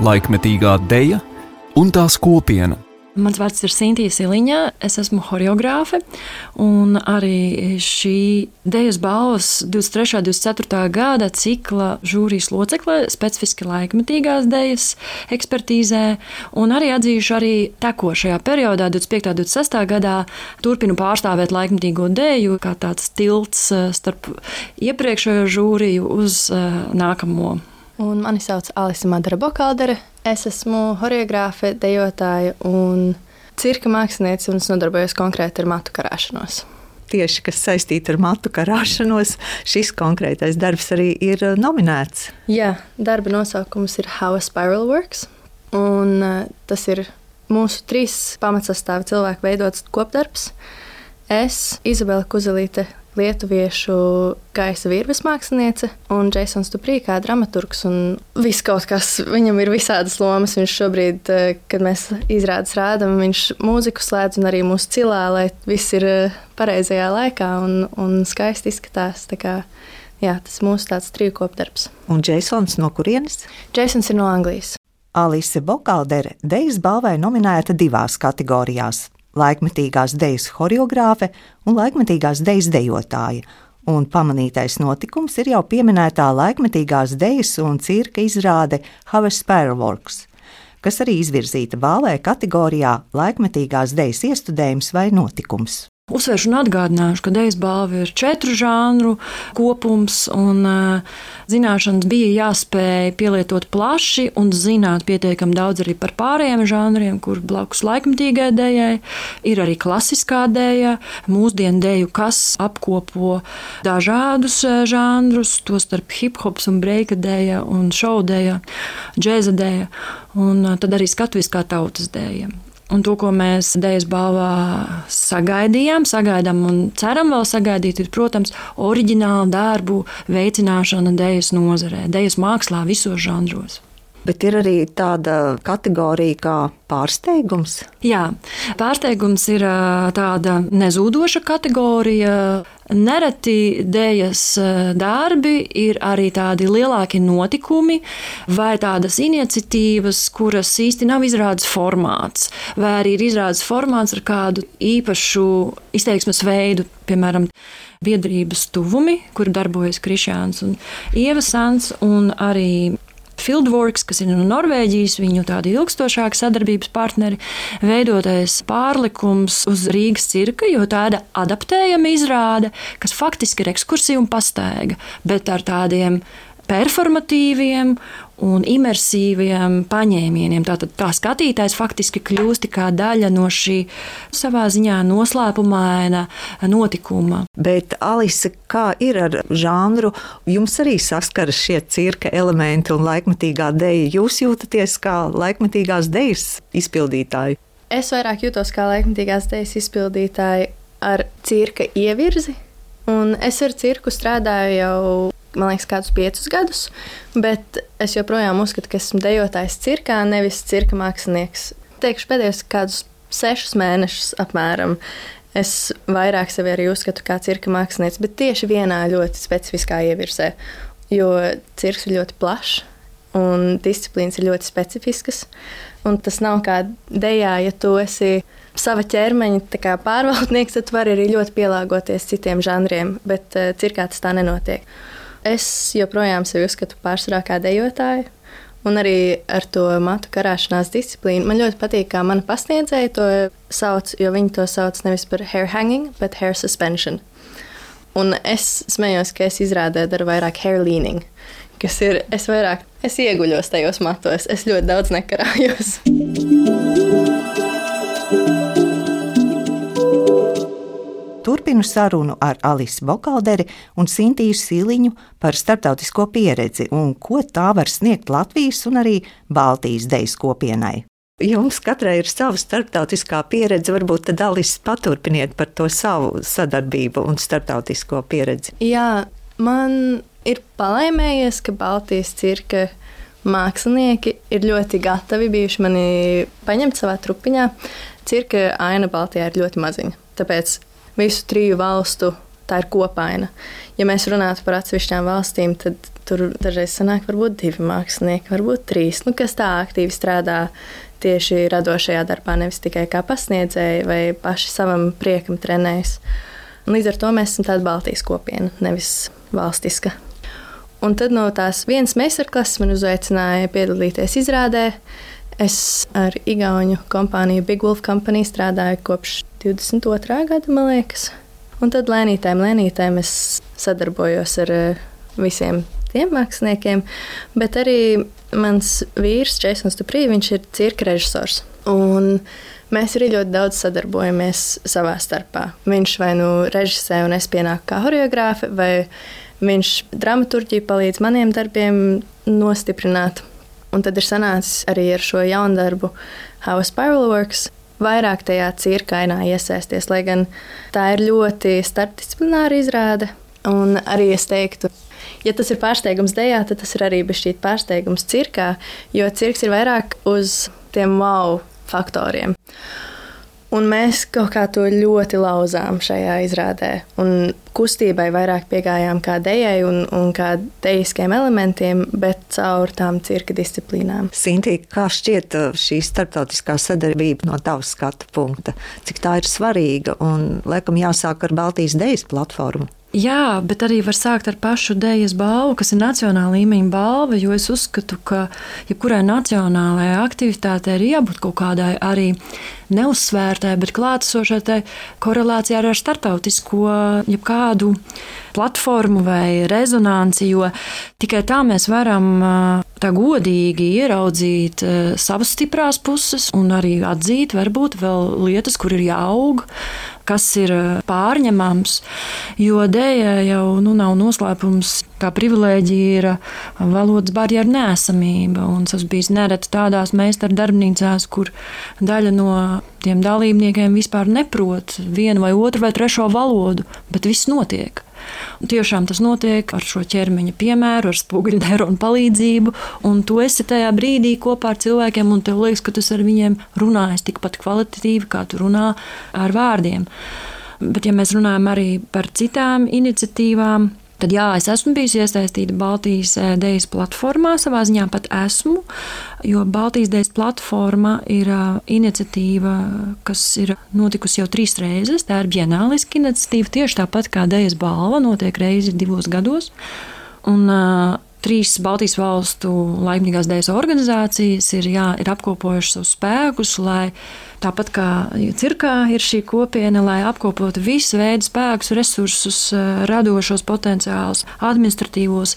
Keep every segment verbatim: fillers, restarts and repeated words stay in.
laikmetīgā deja un tās kopiena. Mans vārds ir Sintija Siliņa, es esmu horeogrāfe, un arī šī dejas balvas divdesmit trešā un divdesmit ceturtā gada cikla žūrijas locekle specifiski laikmetīgās dejas ekspertīzē, un arī atzīšu arī tekošajā periodā, divdesmit piektā un divdesmit sestā gadā, turpinu pārstāvēt laikmetīgo deju kā tāds tilts starp iepriekšējo žūriju uz nākamo. Un mani sauc Alise Madara Bokaldere. Es esmu horeogrāfe, dejotāja un cirka māksliniece, un es nodarbojos konkrēti ar matu karāšanos. Tieši, kas saistīta ar matu karāšanos, šis konkrētais darbs arī ir nominēts. Jā, darba nosaukums ir How a Spiral Works, un tas ir mūsu trīs pamatsastāvi cilvēku veidots kopdarbs. Es, Izabela Kuzelīte, lietuviešu gaisa virves māksliniece, un Jasons Duprī kā dramaturgs, un viss kaut kas, viņam ir visādas lomas. Viņš šobrīd, kad mēs izrādes rādam, viņš mūziku slēdz un arī mūsu cilā, lai viss ir pareizajā laikā un, un skaisti izskatās. Tā kā, jā, tas mūsu tāds triju kopdarbs. Un Jasons no kurienes? Jasons ir no Anglijas. Alise Bokaldere dejas balvai nominēta divās kategorijās – laikmetīgās dejas horeogrāfe un laikmetīgās dejas dejotāja, un pamanītais notikums ir jau pieminētā laikmetīgās dejas un cirka izrāde How a Spiral Works, kas arī izvirzīta balvai kategorijā laikmetīgās dejas iestudējums vai notikums. Uzsveršu un atgādināšu, ka dejas balva ir četru žānru kopums, un zināšanas bija jāspēj pielietot plaši un zināt pietiekami daudz arī par pārējiem žānriem, kur blakus laikmetīgai dejai ir arī klasiskā deja, mūsdienu deju, kas apkopo dažādus žānrus, tostarp hip-hops un breika deja un šovu deja, džēza deja, un tad arī skatuviskā tautas deja. Un to, ko mēs dejas balvā sagaidījām, sagaidām un ceram vēl sagaidīt, ir, protams, oriģinālu darbu veicināšana dejas nozarē, dejas mākslā visos žanros. Bet ir arī tāda kategorija kā pārsteigums? Jā, pārsteigums ir tāda nezūdoša kategorija. Nereti dejas darbi ir arī tādi lielāki notikumi vai tādas iniciatīvas, kuras īsti nav izrādes formāts, vai arī ir izrādes formāts ar kādu īpašu izteiksmes veidu, piemēram, biedrības tuvumi, kur darbojas Krišjāns un Ieva Sans, un arī Fieldworks, kas ir no Norvēģijas, viņu tādi ilgstošāki sadarbības partneri, veidotais pārlikums uz Rīgas cirka, jo tāda adaptējama izrāde, kas faktiski ir ekskursija un pastaiga, bet ar tādiem performatīviem un imersīviem paņēmieniem. Tātad tā skatītājs faktiski kļūst kā daļa no šī savā ziņā noslēpumaina notikuma. Bet, Alise, kā ir ar žanru? Jums arī saskaras šie cirka elementi un laikmetīgā deja. Jūs jūtaties kā laikmetīgās dejas izpildītāji? Es vairāk jūtos kā laikmetīgās dejas izpildītāji ar cirka ievirzi, un es ar cirku strādāju jau man liekas, kādus piecus gadus, bet es joprojām uzskatu, ka esmu dejotājs cirkā, nevis cirka mākslinieks. Teikšu pēdējos kādus sešus mēnešus apmēram. Es vairāk sevi arī uzskatu kā cirka mākslinieks, bet tieši vienā ļoti specifiskā ievirzē, jo cirks ir ļoti plašs un disciplīnas ir ļoti specifiskas, un tas nav kā dejā, ja tu esi sava ķermeņa tā kā pārvaldnieks, tad tu vari arī ļoti pielāgoties citiem žanriem, bet uh, cirkā tas tā nenotiek. Es joprojām sevi uzskatu pārsvarā kā dejotāju, un arī ar to matu karāšanās disciplīnu. Man ļoti patīk, kā mana pasniedzēja to sauc, jo viņi to sauc nevis par hair hanging, bet hair suspension. Un es smējos, ka es izrādē daru vairāk hair leaning, kas ir, es vairāk, es ieguļos tajos matos, es ļoti daudz nekarājos. Turpinu sarunu ar Alisi Bokalderi un Sintiju Siliņu par starptautisko pieredzi un ko tā var sniegt Latvijas un arī Baltijas dejas kopienai. Jums katrai ir sava starptautiskā pieredze, varbūt tad Alisi paturpiniet par to savu sadarbību un starptautisko pieredzi. Jā, man ir palaimējies, ka Baltijas cirka mākslinieki ir ļoti gatavi bijuši mani paņemt savā trupiņā. Cirka aina Baltijā ir ļoti maziņa, tāpēc visu triju valstu tā ir kopaina. Ja mēs runātu par atsevišķām valstīm, tad tur dažreiz sanāk varbūt divi mākslinieki, varbūt trīs, nu, kas tā aktīvi strādā tieši radošajā darbā, nevis tikai kā pasniedzēji vai paši savam priekam trenējas. Līdz ar to mēs esam tāda Baltijas kopiena, nevis valstiska. Un tad no tās vienas meistarklases man uzaicināja piedalīties izrādē. Es ar igauņu kompāniju Big Wolf Company strādāju kopš divdesmit otrā gada, man liekas. Un tad lēnītēm, lēnītēm es sadarbojos ar visiem tiem māksliniekiem, bet arī mans vīrs, Jasons Duprī, viņš ir cirka režisors. Un mēs arī ļoti daudz sadarbojamies savā starpā. Viņš vai nu režisē un es pienāku kā horeogrāfe, vai viņš dramaturģiju palīdz maniem darbiem nostiprināt. Un tad ir sanācis arī ar šo jaunu darbu How a Spiral Works vairāk tajā cirkainā iesaisties, lai gan tā ir ļoti starpdisciplināra izrāde. Un arī es teiktu, ja tas ir pārsteigums dejā, tad tas ir arī bišķīt pārsteigums cirkā, jo cirks ir vairāk uz tiem wow faktoriem. Un mēs kaut kā to ļoti lauzām šajā izrādē. Un kustībai vairāk piegājām kā dejai un, un kā dejiskiem elementiem, bet caur tām cirka disciplīnām. Sintī, kā šķiet šī starptautiskā sadarbība no tavas skatu punkta? Cik tā ir svarīga un, laikam, jāsāk ar Baltijas dejas platformu? Jā, bet arī var sākt ar pašu dejas balvu, kas ir nacionāla līmeņa balva, jo es uzskatu, ka jebkurai nacionālajai aktivitātei ir jābūt kaut kādai arī neuzsvērtai, bet klātesošai korelācijā ar starptautisko jebkādu platformu vai rezonanci, jo tikai tā mēs varam tā godīgi ieraudzīt savas stiprās puses un arī atzīt varbūt vēl lietas, kur ir jāaug, kas ir pārņemams, jo dēja jau nu, nav noslēpums, kā privilēģija ir valodas barjeru neesamība. Un tas bijis nereti tādās meistaru darbnīcās, kur daļa no tiem dalībniekiem vispār neprot vienu vai otru vai trešo valodu, bet viss notiek. Un tiešām tas notiek ar šo ķermeņa piemēru, ar spoguļu neironu palīdzību, un tu esi tajā brīdī kopā ar cilvēkiem, un tev liekas, ka tu ar viņiem runājies tikpat kvalitatīvi, kā tu runā ar vārdiem. Bet ja mēs runājam arī par citām iniciatīvām, tad jā, es esmu bijusi iesaistīta Baltijas dejas platformā, savā ziņā pat esmu, jo Baltijas dejas platforma ir iniciatīva, kas ir notikusi jau trīs reizes. Tā ir bienāliska iniciatīva, tieši tāpat kā dejas balva, notiek reizi divos gados. Un uh, trīs Baltijas valstu laikmatīgās dejas organizācijas ir, jā, ir apkopojušas savus spēkus, lai tāpat kā cirkā ir šī kopiena, lai apkopotu visu veidu spēkus, resursus, radošos potenciālus, administratīvos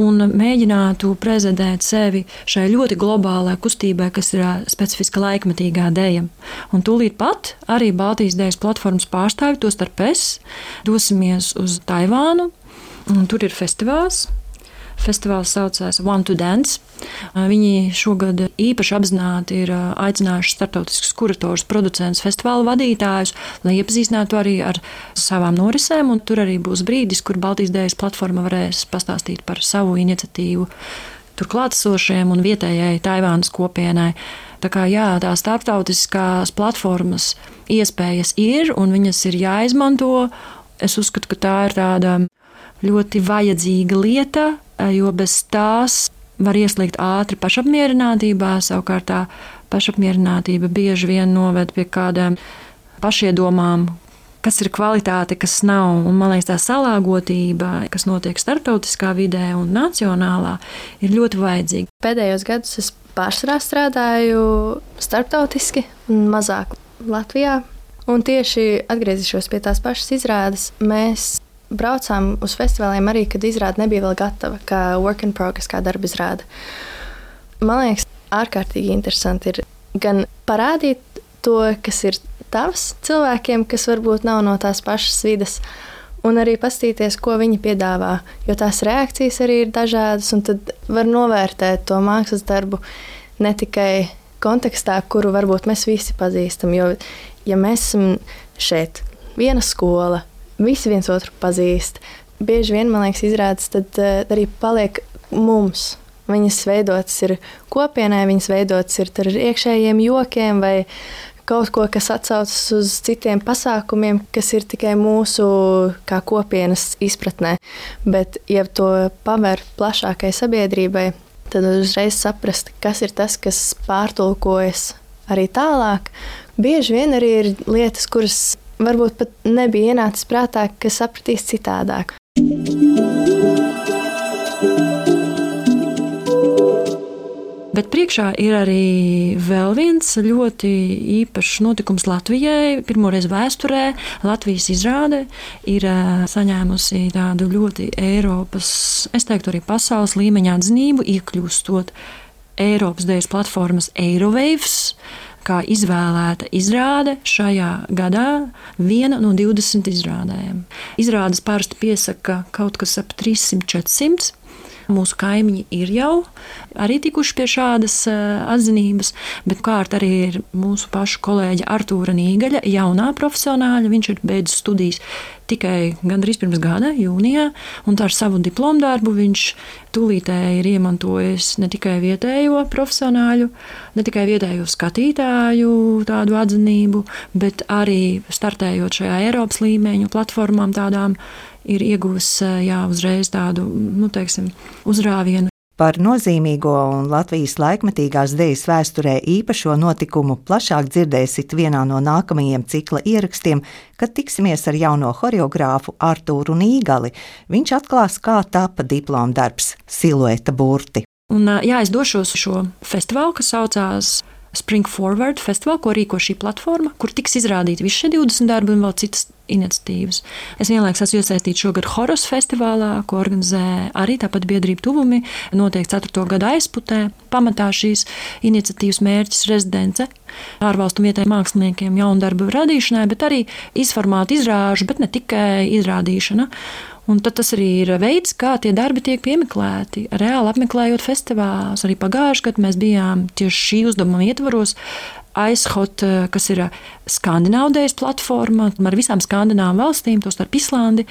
un mēģinātu prezentēt sevi šai ļoti globālai kustībai, kas ir specifiska laikmatīgā deja. Un tūlīt pat arī Baltijas dejas platformas pārstāvi, tostarp es, dosimies uz Taivānu, un tur ir festivāls. Festivāls saucās One to Dance. Viņi šogad īpaši apzināti ir aicinājuši starptautiskus kuratorus, producentus, festivāla vadītājus, lai iepazīstinātu arī ar savām norisēm, un tur arī būs brīdis, kur Baltijas dejas platforma varēs pastāstīt par savu iniciatīvu tur klātesošiem un vietējai Taivānas kopienai. Tā kā jā, tā starptautiskās platformas iespējas ir, un viņas ir jāizmanto. Es uzskatu, ka tā ir tāda ļoti vajadzīga lieta, jo bez tās var ieslīgt ātri pašapmierinātībā, savukārt tā pašapmierinātība bieži vien noved pie kādām pašiedomām, kas ir kvalitāte, kas nav. Un, man liekas, tā salāgotība, kas notiek starptautiskā vidē un nacionālā, ir ļoti vajadzīga. Pēdējos gadus es pārsvarā strādāju starptautiski un mazāk Latvijā. Un tieši atgriezīšos pie tās pašas izrādes. Mēs braucām uz festivāliem arī, kad izrāde nebija vēl gatava, kā work in progress, kā darba izrāde. Man liekas, ārkārtīgi interesanti ir gan parādīt to, kas ir tavs cilvēkiem, kas varbūt nav no tās pašas vides, un arī paskatīties, ko viņi piedāvā, jo tās reakcijas arī ir dažādas, un tad var novērtēt to mākslas darbu ne tikai kontekstā, kuru varbūt mēs visi pazīstam, jo, ja mēs esam šeit, viena skola, visi viens otru pazīst. Bieži vien, man liekas, izrādes tad arī paliek mums. Viņas veidotas ir kopienai, viņas veidotas ir ar iekšējiem jokiem vai kaut ko, kas atsaucas uz citiem pasākumiem, kas ir tikai mūsu kā kopienas izpratnē. Bet, ja to paver plašākai sabiedrībai, tad uzreiz saprast, kas ir tas, kas pārtulkojas arī tālāk. Bieži vien arī ir lietas, kuras varbūt pat nebija ienācis prātā, kas sapratīs citādāk. Bet priekšā ir arī vēl viens ļoti īpašs notikums Latvijai. Pirmoreiz vēsturē Latvijas izrāde ir saņēmusi tādu ļoti Eiropas, es teiktu arī pasaules līmeņa atzinību, iekļūstot Eiropas dejas platformas Eirowaves, kā izvēlēta izrāde šajā gadā viena no divdesmit izrādēm. Izrādes parasti piesaka kaut kas ap trīssimt četrsimt. Mūsu kaimiņi ir jau arī tikuši pie šādas atzinības, bet kārt arī ir mūsu pašu kolēģa Artūra Nīgaļa, jaunā profesionāļa. Viņš ir beidzis studijas tikai gandrīz pirms gada, jūnijā, un ar savu diplomu darbu viņš tūlītēji ir iemantojis ne tikai vietējo profesionāļu, ne tikai vietējo skatītāju tādu atzinību, bet arī startējot šajā Eiropas līmeņu platformām tādām, ir ieguvis jā, uzreiz tādu, nu, teiksim, uzrāvienu. Par nozīmīgo un Latvijas laikmetīgās dejas vēsturē īpašo notikumu plašāk dzirdēsit vienā no nākamajiem cikla ierakstiem, kad tiksimies ar jauno horeogrāfu Artūru Nīgali. Viņš atklās, kā tapa diplomdarbs Silueta burti. Un, jā, es došos uz šo festivālu, kas saucās Spring Forward festivālu, ko rīko šī platforma, kur tiks izrādīti visi šie divdesmit darbi un vēl citas iniciatīvas. Es vienlaikus esmu iesaistīta šogad Horos festivālā, ko organizē arī tāpat biedrība Tuvumi, notiek ceturto gadu aizputē. Pamatā šīs iniciatīvas mērķis rezidence ārvalstu vietējiem māksliniekiem jaunu darbu radīšanai, bet arī izformāta izrāžu, bet ne tikai izrādīšana. Un tad tas arī ir veids, kā tie darbi tiek piemeklēti, reāli apmeklējot festivālus. Arī pagājušajā gadā mēs bijām tieši šī uzdevuma ietvaros Aizhot, kas ir Skandināvu dejas platforma ar visām skandināvu valstīm, tostarp Islandi.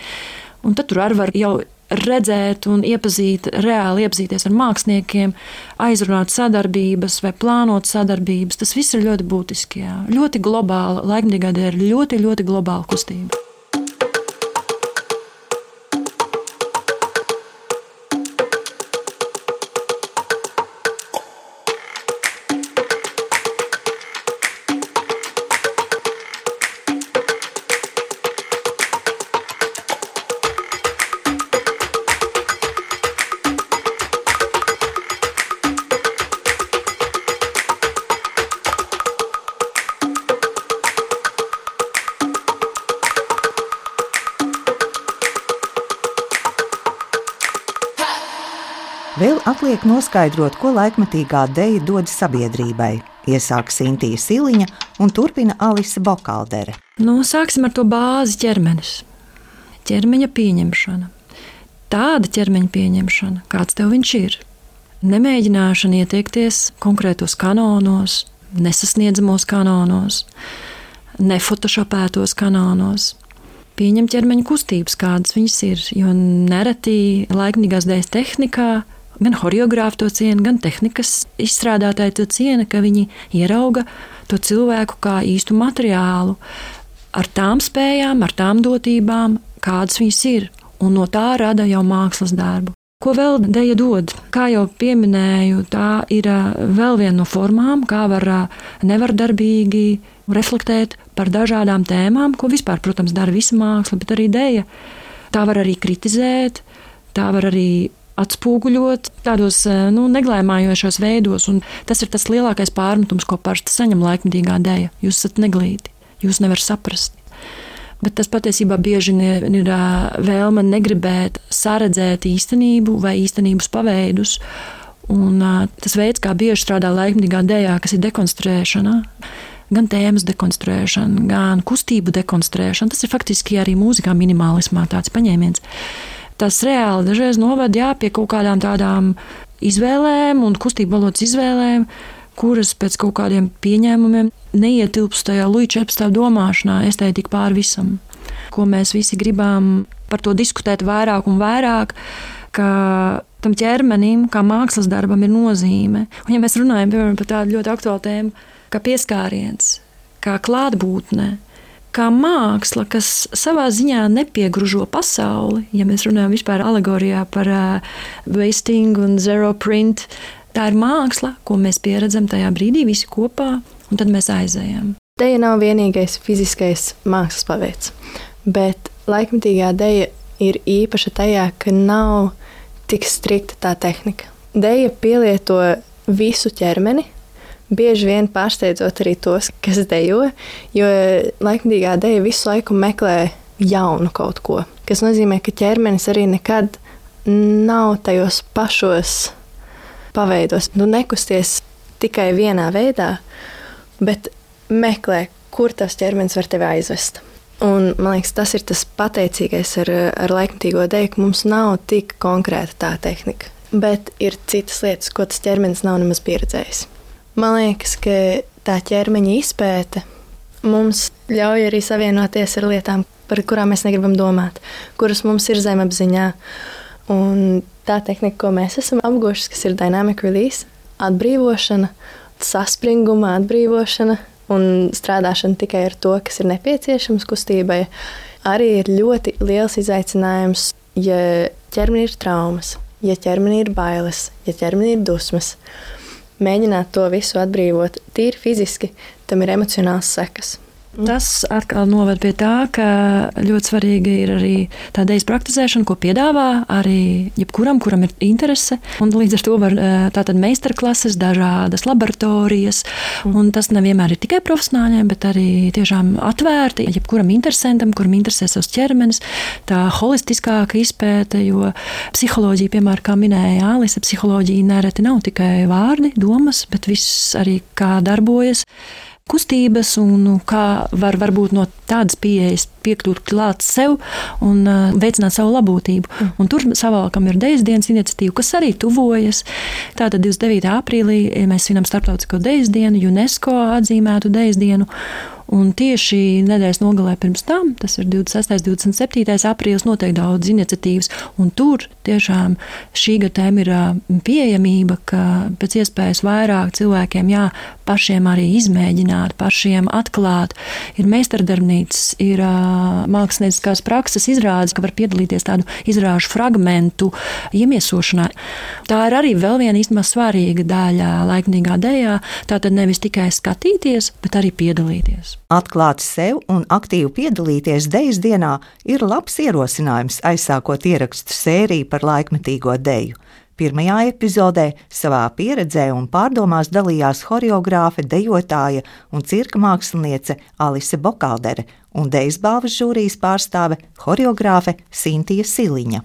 Un tad tur arī var jau redzēt un iepazīt, reāli iepazīties ar māksliniekiem, aizrunāt sadarbības vai plānot sadarbības. Tas viss ir ļoti būtiski. Jā. Ļoti globāla, laikmetīgā deja ir ļoti, ļoti globāla kustība. Vēl atliek noskaidrot, ko laikmetīgā deja dod sabiedrībai. Iesāk Sintīja Siliņa un turpina Alise Bokaldere. Nu, sāksim ar to bāzi ķermenis. Ķermeņa pieņemšana. Tāda ķermeņa pieņemšana, kāds tev viņš ir. Nemēģināšana ieteikties konkrētos kanonos, nesasniedzamos kanonos, nefotošopētos kanonos. Pieņem ķermeņa kustības, kādas viņas ir, jo nereti laikmetīgās dejas tehnikā gan horeogrāfi to ciena, gan tehnikas izstrādātāji to ciena, ka viņi ierauga to cilvēku kā īstu materiālu ar tām spējām, ar tām dotībām, kādas viņas ir, un no tā rada jau mākslas darbu. Ko vēl deja dod? Kā jau pieminēju, tā ir vēl viena no formām, kā var nevardarbīgi reflektēt par dažādām tēmām, ko vispār, protams, dara visa māksla, bet arī deja. Tā var arī kritizēt, tā var arī atspūguļot tādos nu, neglēmājošos veidos, un tas ir tas lielākais pārmetums, ko parasti saņem laikmetīgā deja. Jūs esat neglīti, jūs nevar saprast. Bet tas patiesībā bieži ir vēlme negribēt saredzēt īstenību vai īstenības paveidus, un tas veids, kā bieži strādā laikmetīgā dejā, kas ir dekonstruēšana, gan tēmas dekonstruēšana, gan kustību dekonstruēšana, tas ir faktiski arī mūzikā minimālismā tāds paņēmiens. Tas reāli dažreiz noved jā, pie kaut kādām tādām izvēlēm un kustību valodas izvēlēm, kuras pēc kaut kādiem pieņēmumiem neietilpst tajā Luja četrpadsmitā domāšanā, estētika pār visam. Ko mēs visi gribam par to diskutēt vairāk un vairāk, ka tam ķermenim, kā mākslas darbam ir nozīme. Un ja mēs runājam piemēram par tādu ļoti aktuālu tēmu, kā pieskāriens, kā klātbūtne, kā māksla, kas savā ziņā nepiegružo pasauli, ja mēs runājam vispār alegorijā par uh, wasting un zero print, tā ir māksla, ko mēs pieredzam tajā brīdī visi kopā, un tad mēs aizējam. Deja nav vienīgais fiziskais mākslas paveids, bet laikmetīgā deja ir īpaša tajā, ka nav tik strikta tā tehnika. Deja pielieto visu ķermeni, bieži vien pārsteidzot arī tos, kas dejo, jo laikmetīgā deja visu laiku meklē jaunu kaut ko, kas nozīmē, ka ķermenis arī nekad nav tajos pašos paveidos. Nu, nekusties tikai vienā veidā, bet meklē, kur tas ķermenis var tevi aizvest. Un, man liekas, tas ir tas pateicīgais ar, ar laikmetīgo deju, ka mums nav tik konkrēta tā tehnika, bet ir citas lietas, ko tas ķermenis nav nemaz pieredzējis. Man liekas, ka tā ķermeņa izpēte mums ļauj arī savienoties ar lietām, par kurām mēs negribam domāt, kuras mums ir zemapziņā. Un tā tehnika, ko mēs esam apguvuši, kas ir dynamic release, atbrīvošana, saspringuma atbrīvošana un strādāšana tikai ar to, kas ir nepieciešams kustībai, arī ir ļoti liels izaicinājums, ja ķermenī ir traumas, ja ķermenī ir bailes, ja ķermenī ir dusmas. Mēģināt to visu atbrīvot tīri fiziski, tam ir emocionāls sekas. Tas atkal noved pie tā, ka ļoti svarīga ir arī tā dejas praktizēšana, ko piedāvā arī jebkuram, kuram ir interese. Un līdz ar to var tātad meistarklases, dažādas laboratorijas. Un tas nevienmēr ir tikai profesionāļiem, bet arī tiešām atvērti jebkuram interesantam, kuram interesē savs ķermenis. Tā holistiskāka izpēte, jo psiholoģija, piemēram, kā minēja Alise, psiholoģija nereti nav tikai vārdi, domas, bet viss arī kā darbojas. Kustības un kā var varbūt no tādas pieejas piekļūt klāt sev un uh, veicināt savu labūtību. Mm. Un tur savalkam ir Dejas dienas iniciatīva, kas arī tuvojas. Tātad divdesmit devītā aprīlī mēs svinam starptautisko Dejas dienu, UNESCO atzīmētu Dejas dienu. Un tieši nedēļas nogalē pirms tam, tas ir divdesmit sestais divdesmit septītais aprīlis, notiek daudz iniciatīvas. Un tur tiešām šī gada tēma ir pieejamība, ka pēc iespējas vairāk cilvēkiem jā, pašiem arī izmēģināt, pašiem atklāt. Ir meistardarbnīcas, ir uh, mākslinieckās prakses izrādes, ka var piedalīties tādu izrāžu fragmentu iemiesošanā. Tā ir arī vēl viena īstenībā svarīga daļa laikmetīgā dejā. Tātad nevis tikai skatīties, bet arī piedalīties. Atklāt sev un aktīvi piedalīties Dejas dienā ir labs ierosinājums aizsākot ierakstu sēriju par laikmetīgo deju. Pirmajā epizodē savā pieredzē un pārdomās dalījās horeogrāfe, dejotāja un cirka māksliniece Alise Bokaldere un Dejas balvas žūrijas pārstāve horeogrāfe Sintija Siliņa.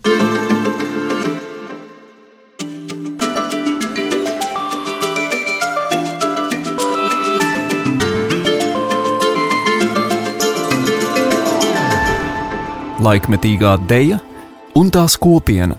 Laikmetīgā deja un tās kopiena.